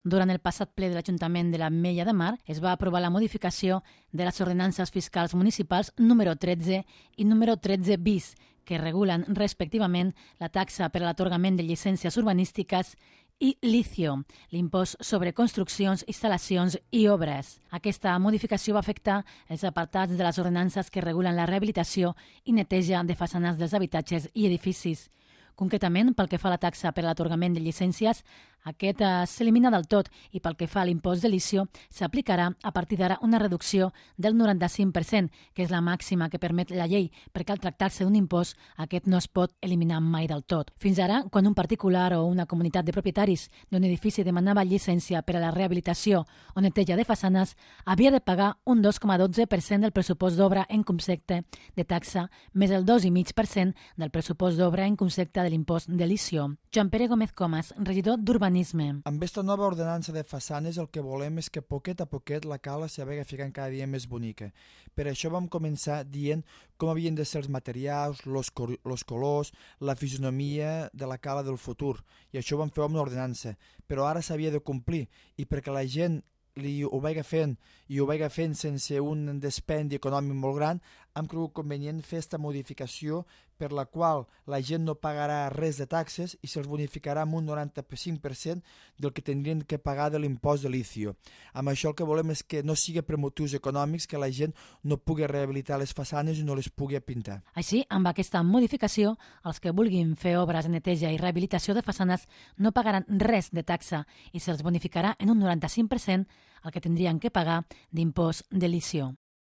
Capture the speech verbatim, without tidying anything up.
Durant el passat ple de l'Ajuntament de l'Ametlla de Mar es va aprovar la modificació de les ordenances fiscals municipals número tretze i número tretze bis, que regulen respectivament la taxa per a l'atorgament de llicències urbanístiques i l'ICIO, l'impost sobre construccions, instal·lacions i obres. Aquesta modificació va afectar els apartats de les ordenances que regulen la rehabilitació i neteja de façanes dels habitatges i edificis. Concretament, pel que fa a la taxa per a l'atorgament de llicències, aquest s'elimina del tot i pel que fa a l'impost de l'ICIO s'aplicarà a partir d'ara una reducció del noranta-cinc per cent, que és la màxima que permet la llei, perquè al tractar-se d'un impost aquest no es pot eliminar mai del tot. Fins ara, quan un particular o una comunitat de propietaris d'un edifici demanava llicència per a la rehabilitació o neteja de façanes, havia de pagar un dos coma dotze per cent del pressupost d'obra en concepte de taxa més el dos coma cinc per cent del pressupost d'obra en concepte de l'impost de l'ICIO. Joan Pere Gómez Comas, regidor d'Urbanisme. Amb aquesta nova ordenança de façanes el que volem és que poquet a poquet la cala s'hi vagi ficant cada dia més bonica. Per això vam començar dient com havien de ser els materials, els colors, la fisonomia de la cala del futur. I això ho vam fer amb una ordenança. Però ara s'havia de complir i perquè la gent li ho vagi fent i ho vagi fent sense un dispendi econòmic molt gran, hem cregut convenient fer aquesta modificació per la qual la gent no pagarà res de taxes i se'ls bonificarà amb un noranta-cinc per cent del que tindrien que pagar de l'impost de l'ICIO. Amb això el que volem és que no sigui per motius econòmics que la gent no pugui rehabilitar les façanes i no les pugui pintar. Així, amb aquesta modificació, els que vulguin fer obres de neteja i rehabilitació de façanes no pagaran res de taxa i se'ls bonificarà en un noranta-cinc per cent el que tindrien que pagar d'impost de l'ICIO.